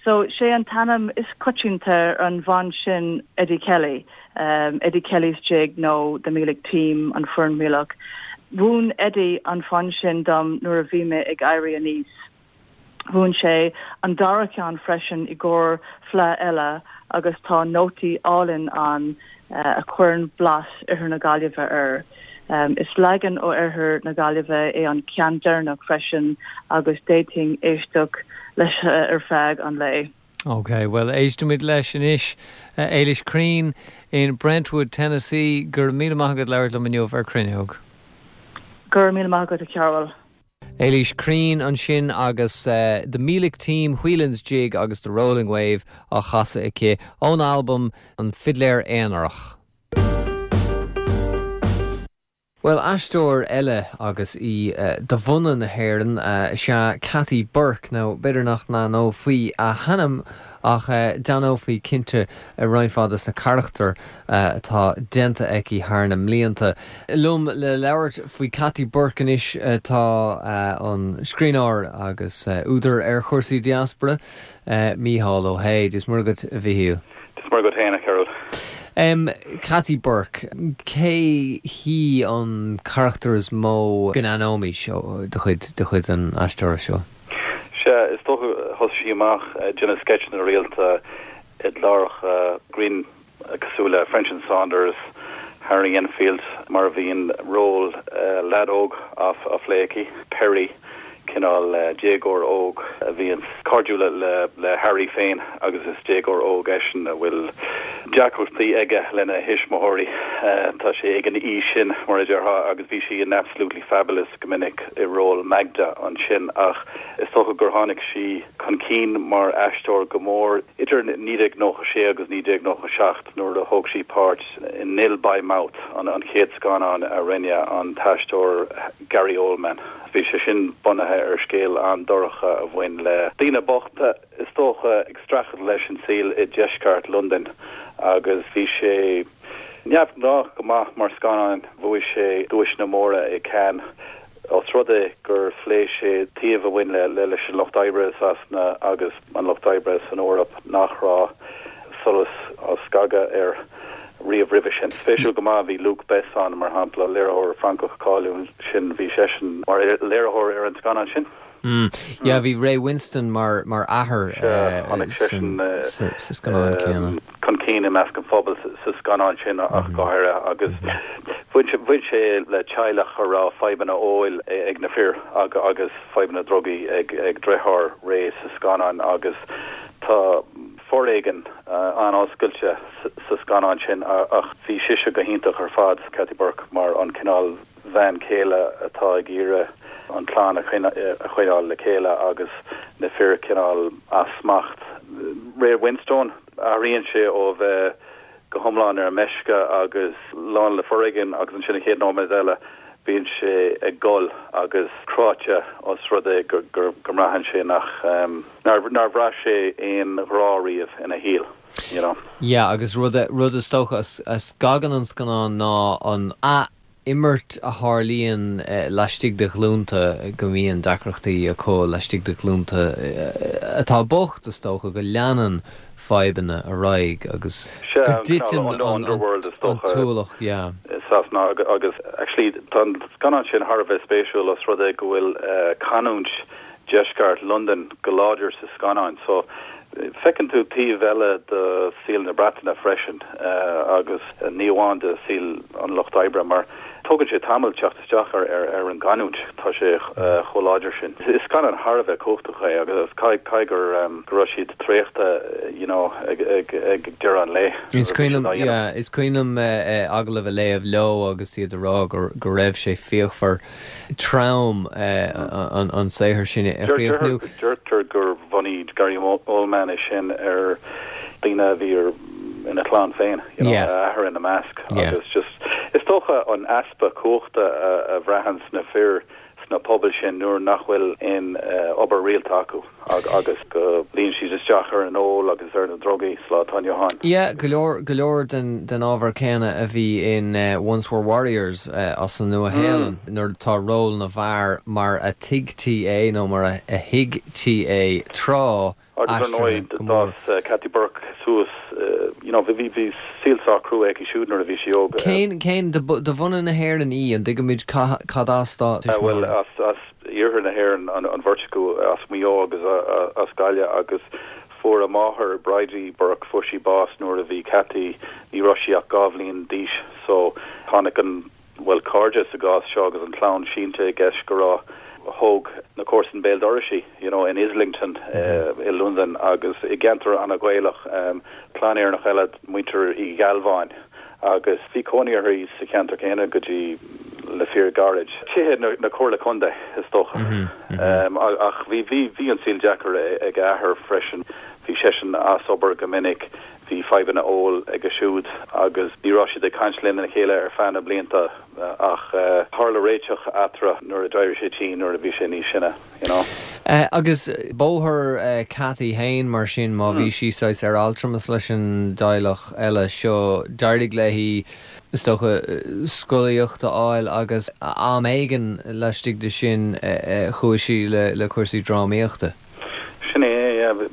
[SPEAKER 5] So, sé an t-ainm is coitianta ar an bhfonn sin Eddie Kelly, Eddie Kelly's Jig nó The Meelick Team, An Foireann Mhíleach. Mhúin Eddie an fonn sin dom nuair a bhí mé ag éirí aníos. Mhúin sé an dara ceann freisin i gcomhair fleadh eile agus tá nótaí álainn ann a chuireann blas Oirthear na Gaillimhe air. Is leagan ó Oirthear na Gaillimhe é an ceann deireanach freisin agus d'fhéadfainn éisteacht leis ar feadh an lae.
[SPEAKER 1] Ok, bhuel éistfimid leis anois. Éilis Crean in Brentwood, Tennessee, go raibh míle maith agat labhairt liom inniu ar Cruinneog.
[SPEAKER 5] Go raibh míle maith agat a Chearbhaill.
[SPEAKER 1] Éilís Crean ansin agus The Meelick Team, Whelan's Jig agus The Rolling Wave á chasadh aici ón albam An Fidléir Aonarach. Bhuel, aisteoir eile agus í de bhunadh na hÉireann is ea Kathy Burke. Now, b'fhéidir nach n-aithneofaí a hainm ach d'aithneofaí cinnte roinnt mhaith de na carachtair atá déanta aici thar na mblianta. Liom le labhairt faoi Kathy Burke anois tá an scríbhneoir agus údar ar chúrsaí diaspora, Mícheál Ó hAodha. Dia is Muire agat, a Mhíchíl.
[SPEAKER 6] Dia is Muire agat féin, a Chearbhaill.
[SPEAKER 1] Kathy Burke, cé hí an carachtar is mó go n-aithneoimis de chuid de chuid an aisteora seo?
[SPEAKER 6] Sea, is dócha, thosaigh sí amach ag déanamh sceitseanna rialta i gcláracha grinn cosúil le French and Saunders, Harry Enfield, mar a bhíonn ról leaid óg á phlé aici, Perry, cineál déagóir óg a bhíonn cairdiúil le Harry féin agus is déagóir óg eisean a bhfuil deacrachtaí aige lena thuismitheoirí. Tá sé ag an aois sin, mar a déarfá, agus bhí sí in Absolutely Fabulous go minic i ról Magda ansin ach is dócha gur tháinig sí chun cinn mar aisteoir go mór idir 1996 agus 1997 nuair a thóg sí páirt in Nil by Mouth, an chéad scannán a rinne an t-aisteoir Gary Oldman. Bhí sé sin bunaithe ar scéal an-dorcha a bhain le daoine bochta, is dócha, ag streachailt leis an saol i deisceart Londain agus bhí sé neamhghnách go maith mar scannán. Bhuaigh sé duaiseanna móra i Cannes. Ós rud é gur phléigh sé taobh a bhain le leis an lucht oibre i Sasana agus an lucht oibre san Eoraip nach raibh solas á scagadh air riamh roimhe sin. Spéisiúil go maith, bhí Luc Besson, mar shampla, léiritheoir Francach cáiliúil sin, bhí seisean mar léiritheoir ar an scannán sin.
[SPEAKER 1] Yeah, bhí Ray Winstone mar mar athair sa scannán céanna.
[SPEAKER 6] chun cinn i measc an phobail sa scannán sin ach go háirithe agus bhain sé bhain sé le teaghlach a raibh fadhbanna óil ag na fir agus fadhbanna drugaí ag ag deartháir Ray sa scannán agus tá foréigean an-oscailte sa scannán sin ach bhí sise go hiontach ar fad, Kathy Burke, mar an cineál bhean chéile atá ag iarraidh an chlann a choinneáil le chéile agus na fir cineál as smacht. Ray Winstone, athraíonn sé ó bheith go hiomlán ar meisce agus lán le foréigean agus ansin an chéad nóiméad eile bíonn sé ag gol agus cráite os rud é go mbraitheann sé nach nár bhraith sé aon ghrá riamh ina shaol.
[SPEAKER 1] You know. Yeah, agus rud rud is dócha a scagann an scannán ná an ath-imirt a tharlaíonn laistigh de ghlúnta, go mbíonn deacrachtaí acu laistigh de ghlúnta atá bocht, is dócha, go leanann fadhbanna ar aghaidh agus go dtiteann an t-ualach, yeah.
[SPEAKER 6] i Sasana agus actually tá an scannán sin thar a bheith spéisiúil os rud é go bhfuil canúint deisceart Londain go láidir sa scannán so. Feiceann tú taobh eile de saol na Breataine freisin agus ní amháin de saol an lucht oibre mar tógann sé tamall teacht isteach ar an gcanúint, tá sé chomh láidir sin. Is scannán thar a bheith cumhachtach é agus caithfidh go raibh siad traochta you know ag deireadh an lae.
[SPEAKER 1] Is cuimhin liom, yeah, is cuimhin liom agallamh a léamh leo agus iad ag rá go raibh sé fíochmhar. trom an saothar sin a chríochnú.
[SPEAKER 6] Deirtear gur bhunaigh Gary Oldman é sin ar daoine a bhí ina chlann féin, you know, a athair ina measc agus just is dócha an easpa cumhachta a bhraitheann sna fir sna pobail sin nuair nach bhfuil aon obair rialta acu. agus go luíonn siad isteach ar an ól agus ar na drugaí sa lá atá inniu ann.
[SPEAKER 1] Yeah, go leor, go leor den, den ábhar céanna a bhí in Once Were Warriors as an Nua-Shéalainn, nuair atá ról na bhfear mar a tuigtí é nó mar a thuigtí é tráth,
[SPEAKER 6] Agus ar ndóigh,
[SPEAKER 1] aistrithe go mór.
[SPEAKER 6] d'fhás Kathy Burke suas, you know, bhí, bhí saol sách crua aici siúd nuair a bhí sí óg.
[SPEAKER 1] Cén, cén, de, de bhunadh na hÉireann í, an dtuigimid cad as dá
[SPEAKER 6] tuismitheoirí? Bhuel, as, as iarthar na hÉireann an bheirt acu, as Maigh Eo agus as Gaillimh agus fuair a máthair, Bridie Burke, fuair sí bás nuair a bhí Kathy, ní raibh sí ach 2 bhliain d'aois so tháinig an, bhuel cairde sa gcás seo agus an chlann sínte i gceist go raibh, thóg na comharsain béal dorais í, you know, in Islington i Londain agus i gceantar an-Ghaelach, clann Éireannach eile, muintir Uí Ghealbháin. agus bhí cónaí uirthi sa cheantar céanna go dtí le fíor gairid. Tithe na Comhairle Contae, is dócha. Ach bhí, bhí, bhí an saol deacair ag a athair freisin. Bhí seisean as obair go minic, bhí fadhbanna óil aige siúd agus ní raibh siad ag caint lena chéile ar feadh na blianta ach tharla réiteach eatarthu nuair a d'éirigh sé tinn nuair a bhí sé níos sine. you know.
[SPEAKER 1] Agus bóthar Cathy fhéin mar sin, má bhí sí saghas ar altramas leis an dteaghlach eile seo, d'éirigh léi, is dócha, scolaíocht a fháil agus am éigin laistigh de sin chuaigh sí le cúrsaí drámaíochta.
[SPEAKER 6] Sin é, yeah.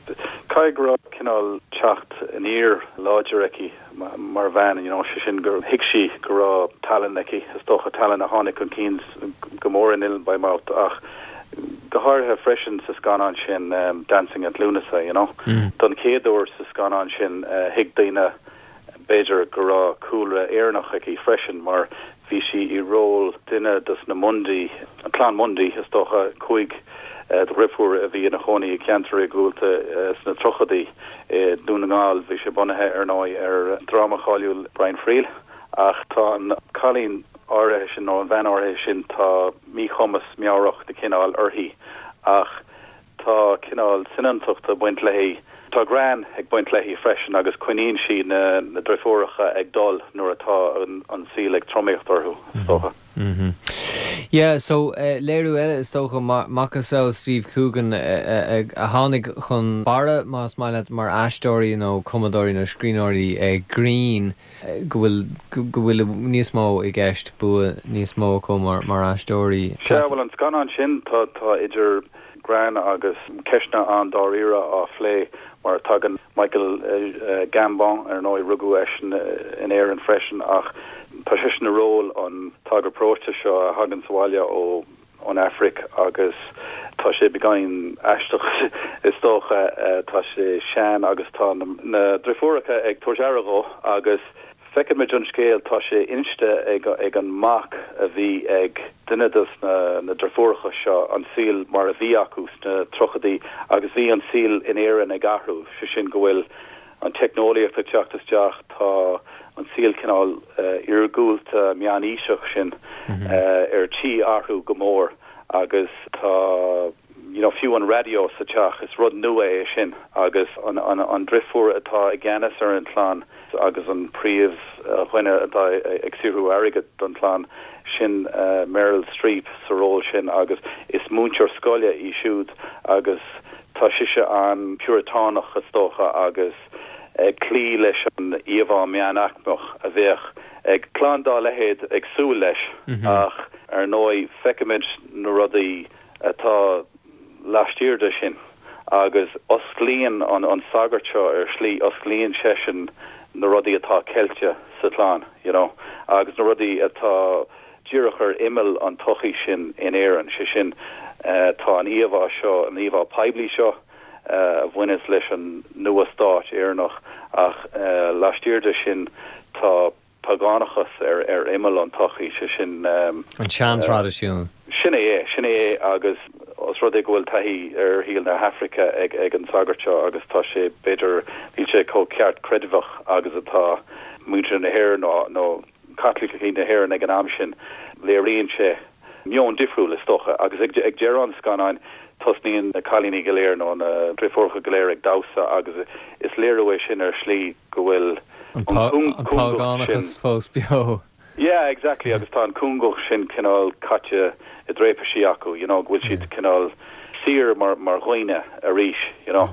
[SPEAKER 6] Caithfidh go raibh cineál teacht aniar láidir aici. mar bhean, you know, sé sin gur thuig sí go raibh tallann aici, is dócha, tallann a tháinig chun cinn go mór in Ill by Mouth ach go háirithe freisin sa scannán sin Dancing at Lughnasa, you know. Don chéad uair sa scannán sin thuig daoine b'fhéidir go raibh cúlra Éireannach aici freisin mar Bhí sí i ról duine dos na Mundy, an clann Mundy, is dócha, 5 dhriofúr a bhí ina chónaí i gceantar iargúlta sna tríochaidí i nDún na nGall. Bhí sé bunaithe, ar ndóigh, ar dráma cháiliúil Brian Friel. Ach tá an cailín áirithe sin, nó an bhean áirithe sin, tá míchumas meabhrach de chineál uirthi ach Tá cineál soineantachta ag baint léi. Tá greann ag baint léi freisin agus coinníonn sí na driofúracha ag dul nuair atá an saol ag tromaíocht orthu, is dócha.
[SPEAKER 1] Yeah, so léiriú eile is dócha, macasamhail Steve Coogan a tháinig chun barra, más maith leat, mar aisteoirí nó cumadóirí nó scríbhneoirí grinn. go bhfuil go bhfuil níos mó i gceist, bua níos mó acu mar mar aisteoirí.
[SPEAKER 6] Sea, bhuel an scannán sin, tá tá idir greann agus ceisteanna an-dáiríre á phlé mar tagann Michael Gambon, ar ndóigh rugadh eisean in Éirinn freisin ach tá seisean i ról an tsagairt paróiste seo a thagann sa bhaile ó ón Afraic agus tá sé beagáinín aisteach is dócha. Tá sé sean agus tá na driofúracha ag tabhairt aire dhó agus feicimid an scéal, tá sé inste ag an mac a bhí ag duine de na driofúracha seo, an saol mar a bhí acu sna tríochaidí agus bhí an saol in Éirinn ag athrú, sé sin go bhfuil an teicneolaíocht ag teacht isteach, tá an saol cineál iargúlta meánaoiseach sin ar tí athrú go mór agus tá you know fiú an raidió sa teach, is rud nua é sin agus an an driofúr atá i gceannas ar an chlann agus an príomhdhuine atá ag saothrú airgid don chlann, sin Meryl Streep sa ról sin agus is múinteoir scoile í siúd agus Tá sise an-Phiúratánach, is dócha, agus ag cloí leis an íomhá meánaicmeach a bheadh ag clann dá leithéid ag súil leis, ach ar ndóigh feicimid na rudaí atá laistiar de sin agus osclaíonn an sagart seo ar shlí, osclaíonn seisean na rudaí atá ceilte sa chlann, you know, agus na rudaí atá. díreach ar imeall an tsochaí sin in Éirinn, sé sin, tá an íomhá seo, an íomhá poiblí seo. a bhaineas leis an nua-stát Éireannach ach laistiar de sin tá págánachas ar ar imeall an tsochaí, sé sin.
[SPEAKER 1] An sean-traidisiún.
[SPEAKER 6] Sin é é, sin é é agus os rud é go bhfuil taithí ar shaol na hAfraice ag ag an sagart seo agus tá sé, b'fhéidir, níl sé chomh ceartchreidmheach agus atá muintir na hÉireann nó nó Caitlicigh na hÉireann ag an am sin. Léiríonn sé meon difriúil, is dócha, agus ag ag deireadh an scannáin tosnaíonn na cailíní go léir nó na driofúracha go léir ag damhsa agus is léiriú é sin ar shlí go bhfuil
[SPEAKER 1] an págánachas fós beo.
[SPEAKER 6] Yeah, exactly, agus tá an cúngach sin cineál caite i dtraipisí acu, you know, go bhfuil siad cineál saor mar mar dhaoine arís, you know.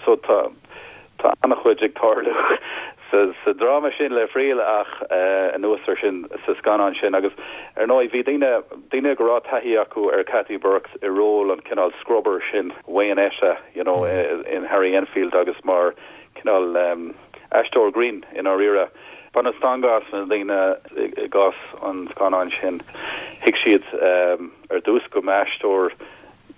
[SPEAKER 6] So tá tá an-chuid ag tarlú sa sa dráma sin le Friel ach anuas ar sin sa scannán sin agus ar ndóigh bhí daoine daoine go raibh taithí acu ar Kathy Burke i ról an cineál scrubber sin Waynetta, you know, in Harry Enfield agus mar cineál aisteoir grinn i ndáiríre. Baineadh stangadh as na daoine i gcás an scannáin sin. Thuig siad ar dtús go mba aisteoir,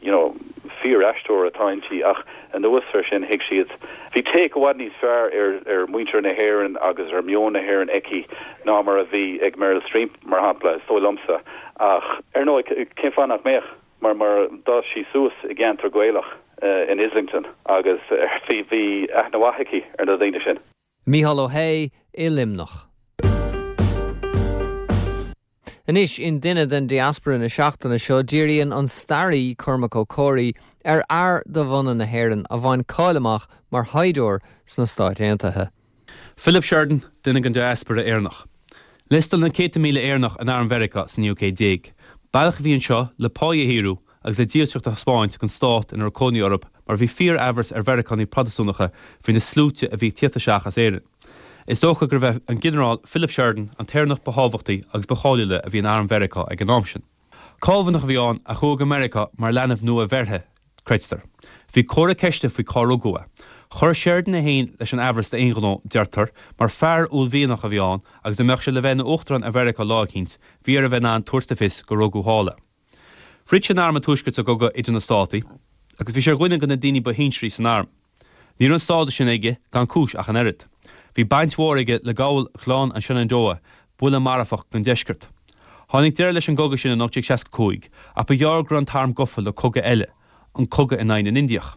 [SPEAKER 6] you know, fíor-aisteoir atá inti ach anuas ar sin thuig siad, bhí take i bhfad níos fearr ar ar mhuintir na hÉireann agus ar mheon na hÉireann aici ná mar a bhí ag Meryl Streep, mar shampla, is dóigh liomsa. Ach ar ndóigh, cén fáth nach mbeadh? Mar mar d'fhás sí suas i gceantar Gaelach in Islington agus bhí bhí aithne mhaith aici ar na daoine sin.
[SPEAKER 1] Mícheál Ó hAodha i Luimneach. Anois, in Duine den Diaspora na seachtaine seo, díríonn an staraí Cormac Ó Comhraí ar fhear de bhunadh na hÉireann a bhain cáil amach mar shaighdiúir sna Stáit Aontaithe.
[SPEAKER 7] Philip Sheridan, duine den diaspora Éireannach. Liostáil na céadta míle Éireannach in arm Mheiriceá sa naoú céad déag. Bealach a bhí anseo le páí a shaothrú agus le dílseacht a thaispeáint don stát ina raibh cónaí orthu mar bhí fíor-aimhreas ar Mheiriceánaigh Protastúnacha faoi na sluaite a bhí ag tíocht isteach as Éirinn. Is dócha gurbh é an Ginearál Philip Sheridan an t-Éireannach ba thábhachtaí agus ba cháiliúla a bhí in arm Mheiriceá ag an am sin. Cálbhaineach a bhí ann a chuaigh go Meiriceá mar leanbh nua-bheirthe, creidtear. Bhí comhartha ceiste faoi cá rugadh é. Chuir Sheridan é féin leis an aimhreas d'aon ghnó, deirtear, mar fear uaillmhianach a bhí ann agus dá mbeadh sé le bheith ina uachtarán ar Mheiriceá lá eicínt, bhí air a bheith in ann tabhairt le fios gur rugadh thall é. Throid sé in arm an Tuaiscirt sa gCogadh idir na Státaí agus bhí sé ar dhuine de na daoine ba shinsearaí san arm. Ní raibh an stádas sin aige gan cúis ach an oiread. Bhí baint mhór aige le gabháil Ghleann an Shenandoah, buille marfach don deisceart. Tháinig deireadh leis an gcogadh sin in 1865 ach ba ghearr go raibh an t-arm gafa le cogadh eile, an cogadh in aghaidh na nIndiach.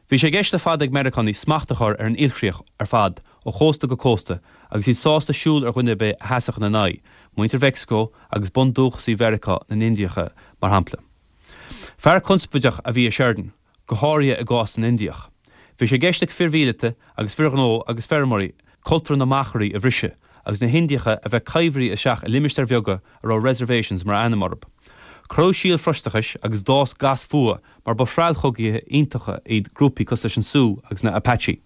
[SPEAKER 7] Bhí sé i gceist le fada ag Meiriceánaigh smacht a chur ar an ilchríoch ar fad ó chósta go cósta agus iad sásta siúl ar dhuine ar bith a sheasfadh ina n-aghaidh, muintir Mheicsiceo agus bundúchasaigh Mheiriceá, na nIndiacha, mar shampla. Fear conspóideach a bhí i Sheridan. go háirithe i gcás na nIndiach. Bhí sé i gceist ag fir mhíleata agus fir ghnó agus feirmeoirí cultúr na machairí a bhriseadh agus na hIndiacha a bheith coimhthithe isteach i limistéir bheaga a raibh reservations mar ainm orthu. Cuireadh síol Phrotastúnachais agus d'fhás gas fuatha mar ba threallchogaithe iontacha iad grúpaí cosúil leis an Sioux agus na Apache.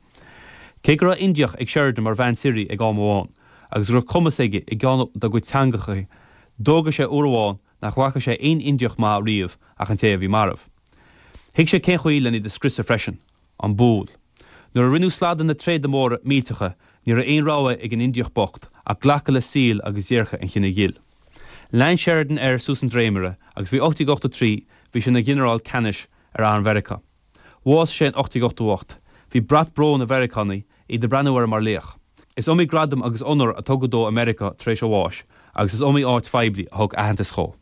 [SPEAKER 7] Cé go raibh Indiach ag Sheridan mar bhean suirí ag am amháin agus go raibh cumas aige i gceann dá gcuid teangacha, d'fhógair sé uair amháin nach bhfaca sé aon Indiach maith riamh ach an té a bhí marbh. Thuig sé cén chaoi len iad a scriosadh freisin. An bull. Nuair a rinneadh slad de na tréada móra millteacha, ní raibh aon rogha ag an Indiach bocht ach glacadh le saol agus déirce an chine ghil. Lean Sheridan air suas an dréimire agus faoi 1883 bhí sé ina ghinearál ceannais ar arm Mheiriceá. Bhásaigh sé in 1888. Bhí brat bróin ar Mheiriceánaigh, iad ag breathnú air mar laoch. Is iomaí gradam agus onóir a tugadh dó i Meiriceá tar éis a bháis agus is iomaí áit phoiblí a thug aitheantas dhó.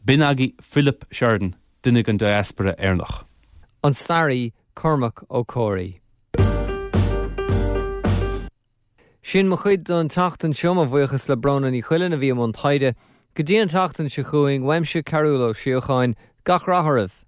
[SPEAKER 7] B'in agaibh Philip Sheridan, duine den diaspora Éireannach.
[SPEAKER 1] An staraí Cormac Ó Comhraí. Sin mo chuid don tseachtain seo, mo bhuíochas le Bróna Ní Chuilinn a bhí i mbun taighde. Go dtí an tseachtain seo chugainn, uaimse Cearúll Ó Síocháin, gach rath oraibh!